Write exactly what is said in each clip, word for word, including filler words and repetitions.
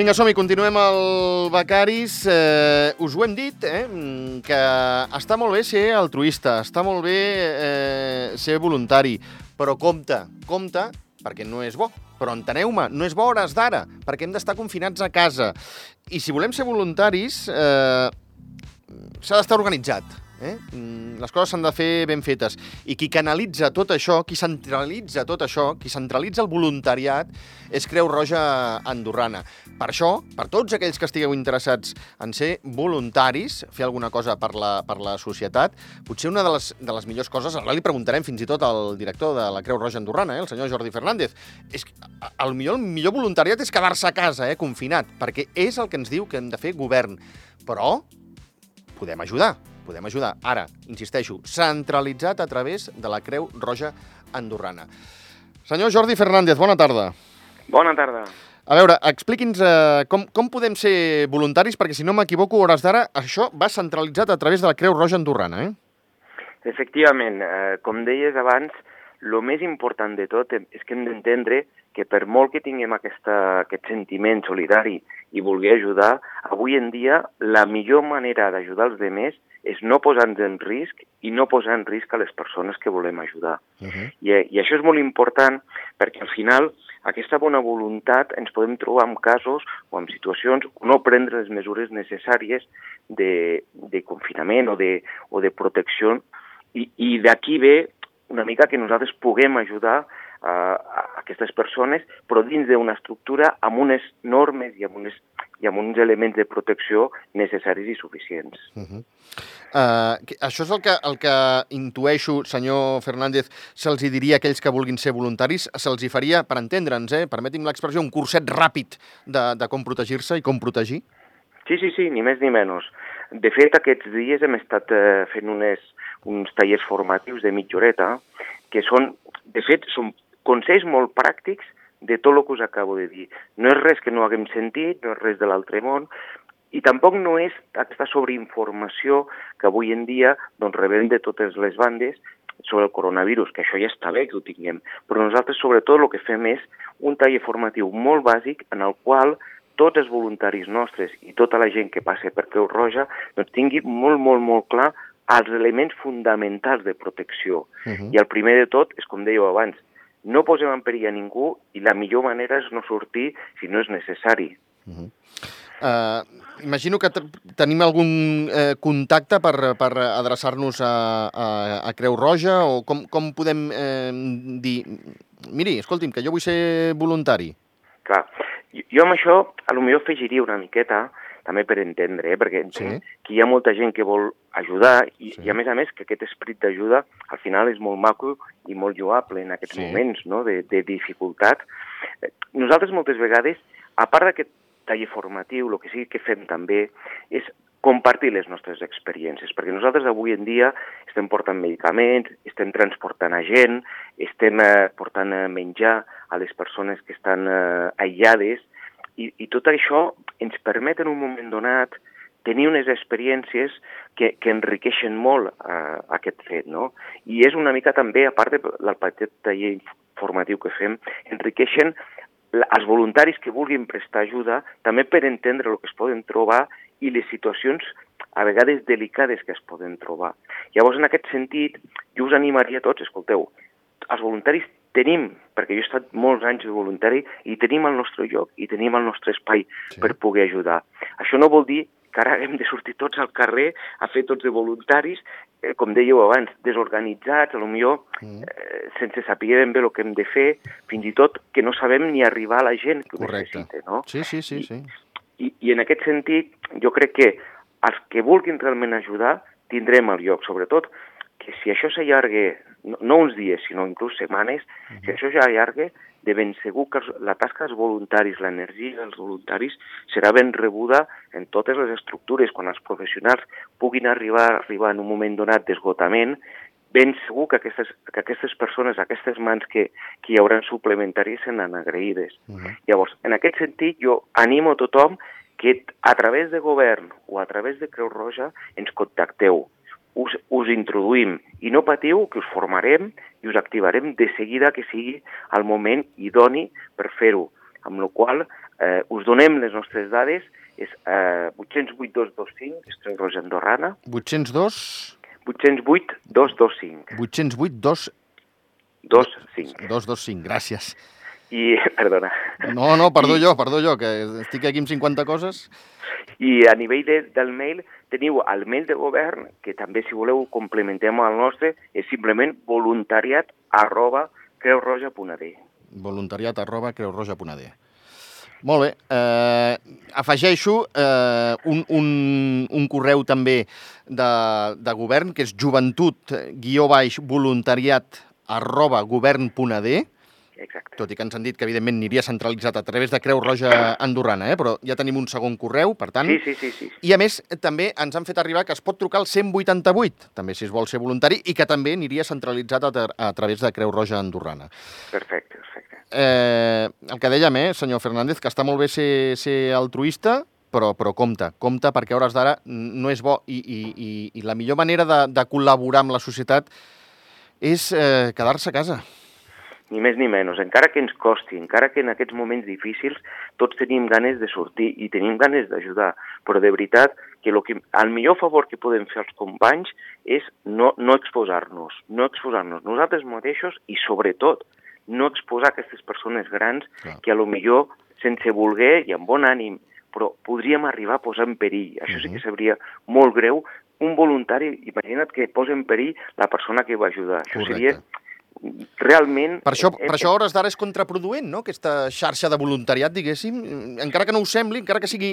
Vinga, som-hi, continuem al Becaris. Eh, us ho hem dit, eh, que està molt bé ser altruista, està molt bé eh, ser voluntari, però compte, compte, perquè no és bo. Però enteneu-me, no és bo a hores d'ara, perquè hem d'estar confinats a casa. I si volem ser voluntaris, eh, s'ha d'estar organitzat. Eh? Les coses s'han de fer ben fetes. I qui canalitza tot això, qui centralitza tot això, qui centralitza el voluntariat, és Creu Roja Andorrana. Per això, per tots aquells que estigueu interessats en ser voluntaris, fer alguna cosa per la, per la societat, potser una de les, de les millors coses, ara li preguntarem fins i tot al director de la Creu Roja Andorrana, eh, el senyor Jordi Fernández, és que el millor, el millor voluntariat és quedar-se a casa, eh, confinat, perquè és el que ens diu que hem de fer govern. Però podem ajudar. Podem ajudar. Ara, insisteixo, centralitzat a través de la Creu Roja Andorrana. Senyor Jordi Fernández, bona tarda. Bona tarda. A veure, expliqui'ns eh, com, com podem ser voluntaris, perquè si no m'equivoco, a hores d'ara, això va centralitzat a través de la Creu Roja Andorrana, eh? Efectivament, eh, com deies abans, el més important de tot és que hem d'entendre que per molt que tinguem aquesta, aquest sentiment solidari i voler ajudar, avui en dia la millor manera d'ajudar els demés és no posar-nos en risc i no posar en risc a les persones que volem ajudar. Uh-huh. I, I això és molt important perquè al final aquesta bona voluntat ens podem trobar en casos o en situacions on no prendre les mesures necessàries de, de confinament o de, o de protecció i, i d'aquí ve una mica que nosaltres puguem ajudar a, a aquestes persones, però dins d'una estructura amb unes normes i amb, unes, i amb uns elements de protecció necessaris i suficients. Uh-huh. Uh, això és el que, el que intueixo, senyor Fernández, se'ls diria a aquells que vulguin ser voluntaris, se'ls hi faria, per entendre'ns, eh, permeti'm l'expressió, un curset ràpid de, de com protegir-se i com protegir? Sí, sí, sí, ni més ni menys. De fet, aquests dies hem estat eh, fent unes, uns tallers formatius de mitja horeta, que són, de fet, són consells molt pràctics de tot el que us acabo de dir. No és res que no haguem sentit, no és res de l'altre món, i tampoc no és aquesta sobreinformació que avui en dia doncs, rebem de totes les bandes sobre el coronavirus, que això ja està bé que ho tinguem, però nosaltres sobretot el que fem és un taller formatiu molt bàsic en el qual tots els voluntaris nostres i tota la gent que passa per Creu Roja doncs, tingui molt, molt, molt clar els elements fonamentals de protecció. Uh-huh. I el primer de tot és, com dèieu abans, no posem en perill a ningú i la millor manera és no sortir si no és necessari. Uh-huh. Uh, imagino que tenim algun eh, contacte per, per adreçar-nos a, a, a Creu Roja o com, com podem eh, dir... Miri, escolti'm, que jo vull ser voluntari. Clar, jo, jo amb això potser afegiria una miqueta, també per entendre, eh? perquè entenc sí. que hi ha molta gent que vol ajudar i, sí. i a més a més que aquest esperit d'ajuda al final és molt maco i molt lloable en aquests sí. moments no? de, de dificultat. Nosaltres moltes vegades, a part d'aquest taller formatiu, el que sí que fem també és compartir les nostres experiències, perquè nosaltres avui en dia estem portant medicaments, estem transportant a gent, estem eh, portant a menjar a les persones que estan eh, aïllades, i, i tot això ens permet en un moment donat tenir unes experiències que, que enriqueixen molt eh, aquest fet, no? I és una mica també, a part del petit taller formatiu que fem, enriqueixen els voluntaris que vulguin prestar ajuda també per entendre el que es poden trobar i les situacions a vegades delicades que es poden trobar. Llavors, en aquest sentit, jo us animaria a tots, escolteu, els voluntaris tenim, perquè jo he estat molts anys de voluntari, i tenim el nostre lloc, i tenim el nostre espai sí. per poder ajudar. Això no vol dir que ara hem de sortir tots al carrer a fer tots de voluntaris, eh, com dèieu abans, desorganitzats, potser mm. eh, sense saber ben bé el que hem de fer, fins i tot que no sabem ni arribar a la gent que ho Correcte. necessita. No? Sí, sí, sí. I, sí. I, I en aquest sentit, jo crec que els que vulguin realment ajudar tindrem el lloc, sobretot que si això s'allarga, no, no uns dies, sinó inclús setmanes, mm-hmm. si això ja allarga, de ben segur que la tasca dels voluntaris, l'energia dels voluntaris, serà ben rebuda en totes les estructures. Quan els professionals puguin arribar, arribar en un moment donat d'esgotament, ben segur que aquestes, que aquestes persones, aquestes mans que, que hi hauran suplementàries seran agraïdes. Uh-huh. Llavors, en aquest sentit, jo animo a tothom que a través de govern o a través de Creu Roja ens contacteu. Us, us introduïm i no patiu que us formarem i us activarem de seguida que sigui el moment idoni per fer-ho, amb la qual eh, us donem les nostres dades, és eh, vuit zero vuit dos dos cinc, és Creu Roja Andorrana. vuit zero dos... vuit zero vuit dos dos cinc. vuit zero vuit dos... dos cinc. dos dos cinc, gràcies. I, perdona. No, no, perdó I, jo, perdó jo, que estic aquí amb cinquanta coses. I a nivell de, del mail, teniu el mail de govern, que també, si voleu, complementem el nostre, és simplement voluntariat arroba creurroja.ad. Voluntariat arroba creurroja.ad. Molt bé. Eh, afegeixo eh, un, un, un correu també de, de govern, que és joventut guió baix voluntariat arroba govern.ad. Exacte. Tot i que ens han dit que, evidentment, aniria centralitzat a través de Creu Roja Andorrana, eh? Però ja tenim un segon correu, per tant... Sí, sí, sí, sí. I, a més, també ens han fet arribar que es pot trucar al cent vuitanta-vuit, també si es vol ser voluntari, i que també aniria centralitzat a, a través de Creu Roja Andorrana. Perfecte, perfecte. Eh, el que dèiem, eh, senyor Fernández, que està molt bé ser, ser altruista, però, però compte, compte, perquè a hores d'ara no és bo, i, i, i, i la millor manera de, de col·laborar amb la societat és eh, quedar-se a casa. Ni més ni menys, encara que ens costi, encara que en aquests moments difícils tots tenim ganes de sortir i tenim ganes d'ajudar, però de veritat que, lo que el millor favor que podem fer als companys és no, no exposar-nos, no exposar-nos nosaltres mateixos i, sobretot, no exposar aquestes persones grans Clar. que a lo millor, sense voler i amb bon ànim, però podríem arribar a posar en perill. Això sí que sabria molt greu. Un voluntari, imagina't que posa en perill la persona que va ajudar. Això Correcte. seria realment... Per això, per això a hores d'ara és contraproduent, no?, aquesta xarxa de voluntariat, diguéssim, encara que no ho sembli, encara que sigui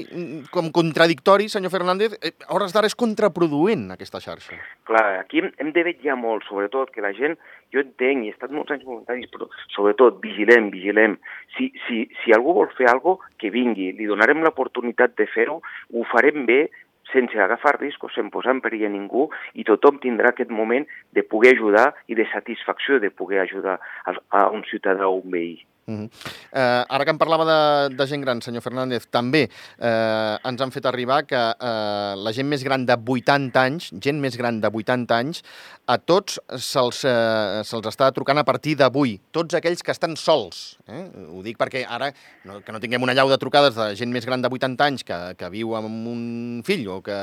com contradictori, senyor Fernández, a hores d'ara és contraproduent aquesta xarxa. Clar, aquí hem, hem de vetllar molt, sobretot, que la gent, jo entenc, i he estat molts anys voluntaris, però sobretot vigilem, vigilem. Si, si, si algú vol fer alguna cosa, que vingui, li donarem l'oportunitat de fer-ho, ho farem bé, sense agafar riscos, sense posar en perill a ningú, i tothom tindrà aquest moment de poder ajudar i de satisfacció de poder ajudar a, a un ciutadà o un veí. Uh-huh. eh, ara que em parlava de, de gent gran, senyor Fernández, també eh, ens han fet arribar que eh, la gent més gran de vuitanta anys, gent més gran de vuitanta anys, a tots se'ls eh, se'ls està trucant a partir d'avui, tots aquells que estan sols. Eh? Ho dic perquè ara, no, que no tinguem una llau de trucades de gent més gran de vuitanta anys que, que viu amb un fill o que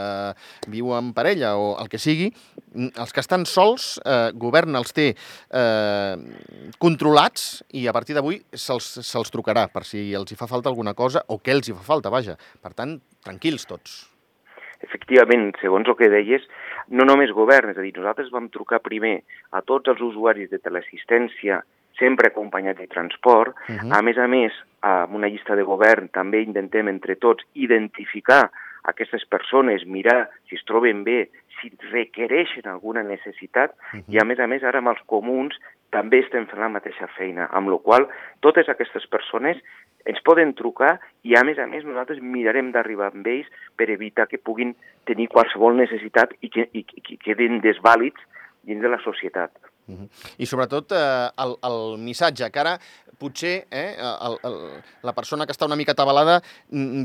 viu amb parella o el que sigui, els que estan sols, eh, govern els té eh, controlats i a partir d'avui se'ls se'ls trucarà per si els hi fa falta alguna cosa o què els hi fa falta, vaja. Per tant, tranquils tots. Efectivament, segons el que deies, no només govern, és a dir, nosaltres vam trucar primer a tots els usuaris de teleassistència, sempre acompanyats de transport. Uh-huh. A més a més, amb una llista de govern també intentem entre tots identificar aquestes persones, mirar si es troben bé, si requereixen alguna necessitat, uh-huh. i a més a més ara amb els comuns també estem fent la mateixa feina, amb la qual totes aquestes persones ens poden trucar i a més a més nosaltres mirarem d'arribar amb ells per evitar que puguin tenir qualsevol necessitat i que, i, que quedin desvàlids dins de la societat. Uh-huh. I sobretot eh, el, el missatge, que ara potser eh, el, el, la persona que està una mica atabalada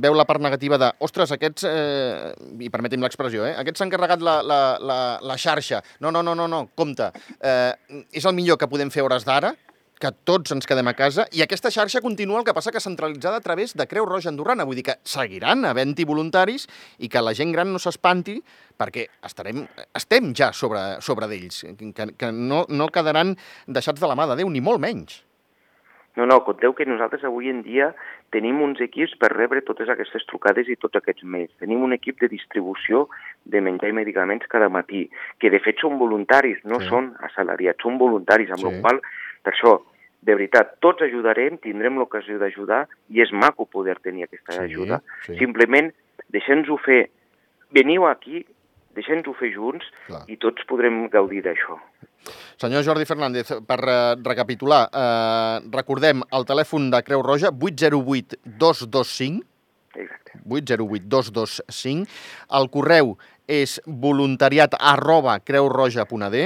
veu la part negativa de ostres, aquests, eh, i permetim l'expressió, eh, aquests s'han carregat la, la, la, la xarxa. No, no, no, no, no, compte. Eh, és el millor que podem fer a hores d'ara, que tots ens quedem a casa, i aquesta xarxa continua, el que passa que centralitzada a través de Creu Roja Andorrana. Vull dir que seguiran havent-hi voluntaris i que la gent gran no s'espanti perquè estarem, estem ja sobre, sobre d'ells, que, que no, no quedaran deixats de la mà de Déu, ni molt menys. No, no, conteu que nosaltres avui en dia tenim uns equips per rebre totes aquestes trucades i tots aquests mails. Tenim un equip de distribució de menjar i medicaments cada matí, que de fet són voluntaris, no sí. són assalariats, són voluntaris, amb sí. la qual per això, de veritat, tots ajudarem, tindrem l'ocasió d'ajudar i és maco poder tenir aquesta sí, ajuda. Sí. Simplement, deixem-nos-ho fer, veniu aquí, deixem-nos-ho fer junts Clar. I tots podrem gaudir d'això. Senyor Jordi Fernández, per uh, recapitular, uh, recordem el telèfon de Creu Roja, vuit zero vuit dos dos cinc, Exacte. vuit zero vuit dos dos cinc, el correu és voluntariat arroba creurroja.ad,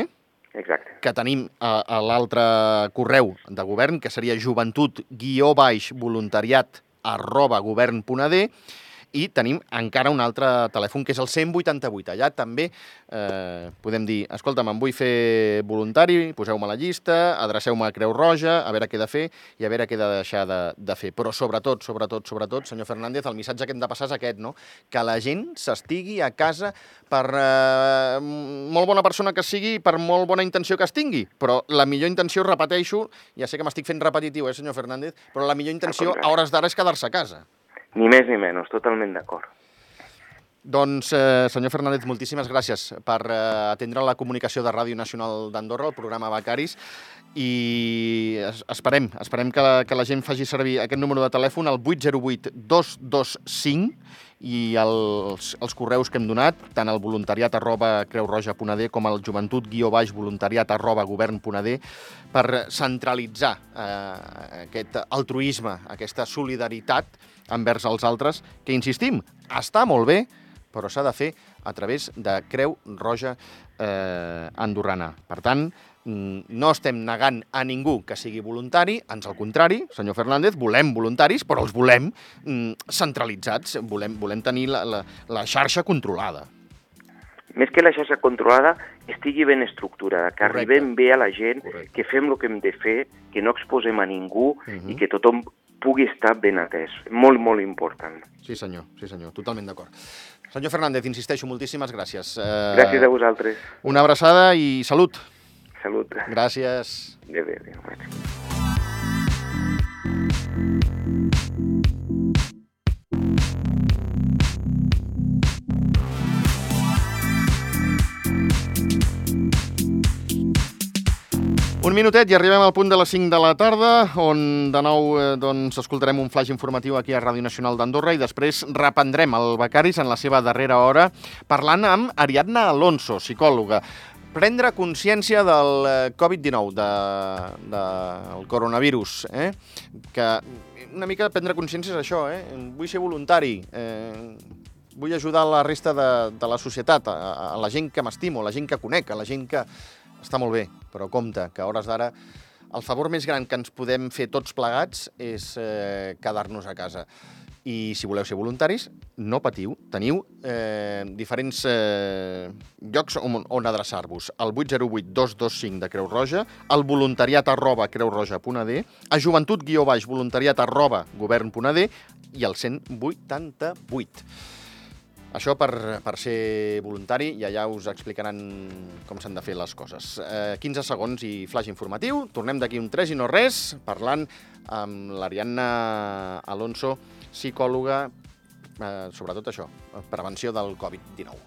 Exacte. que tenim a, a l'altre correu de govern, que seria joventut guió baix voluntariat arroba govern.ad, i tenim encara un altre telèfon, que és el cent vuitanta-vuit. Allà també eh, podem dir, escolta'm, em vull fer voluntari, poseu-me a la llista, adreceu-me a Creu Roja, a veure què he de fer i a veure què he de deixar de, de fer. Però sobretot, sobretot, sobretot, senyor Fernández, el missatge que hem de passar és aquest, no? Que la gent s'estigui a casa per eh, molt bona persona que sigui, per molt bona intenció que es tingui, però la millor intenció, repeteixo, ja sé que m'estic fent repetitiu, eh, senyor Fernández, però la millor intenció a hores d'ara és quedar-se a casa. Ni més ni menys, totalment d'acord. Doncs, eh, senyor Fernández, moltíssimes gràcies per eh, atendre la comunicació de Ràdio Nacional d'Andorra, el programa Becaris, i esperem, esperem que la, que la gent faci servir aquest número de telèfon, el vuit zero vuit dos dos cinc, i els, els correus que hem donat, tant el voluntariat arroba creurroja.d com el joventut guió baix voluntariat arroba govern.d, per centralitzar eh, aquest altruisme, aquesta solidaritat envers els altres, que, insistim, està molt bé, però s'ha de fer a través de Creu Roja eh, andorrana. Per tant, no estem negant a ningú que sigui voluntari, ans al contrari, senyor Fernández, volem voluntaris, però els volem mm, centralitzats, volem, volem tenir la, la, la xarxa controlada. Més que la xarxa controlada, estigui ben estructurada, que Correcte. Arribem bé a la gent, Correcte. Que fem el que hem de fer, que no exposem a ningú Uh-huh. i que tothom pugui estar ben atès. Molt, molt important. Sí, senyor, sí, senyor, totalment d'acord. Senyor Fernández, insisteixo, moltíssimes gràcies. Eh, Gràcies a vosaltres. Una abraçada i salut. Salut. Gràcies. Adéu, adéu, adéu. Un minutet i arribem al punt de les cinc de la tarda, on de nou eh, doncs, escoltarem un flash informatiu aquí a Ràdio Nacional d'Andorra i després reprendrem el Becaris en la seva darrera hora parlant amb Ariadna Alonso, psicòloga. Prendre consciència del covid dinou, de, de, del coronavirus, eh? Que una mica prendre consciència és això, eh? Vull ser voluntari, eh? Vull ajudar la resta de, de la societat, a, a la gent que m'estimo, a la gent que conec, a la gent que... Està molt bé, però compte, que a hores d'ara el favor més gran que ens podem fer tots plegats és eh, quedar-nos a casa. I si voleu ser voluntaris, no patiu, teniu eh, diferents eh, llocs on, on adreçar-vos. El vuit zero vuit dos dos cinc de Creu Roja, el voluntariat arroba creurroja.d, a joventut guió baix voluntariat arroba govern.d i el cent vuitanta-vuit. Això per, per ser voluntari, i allà us explicaran com s'han de fer les coses. Eh, quinze segons i flash informatiu. Tornem d'aquí un tres i no res, parlant amb l'Ariadna Alonso, psicòloga, eh, sobretot això, prevenció del covid dinou.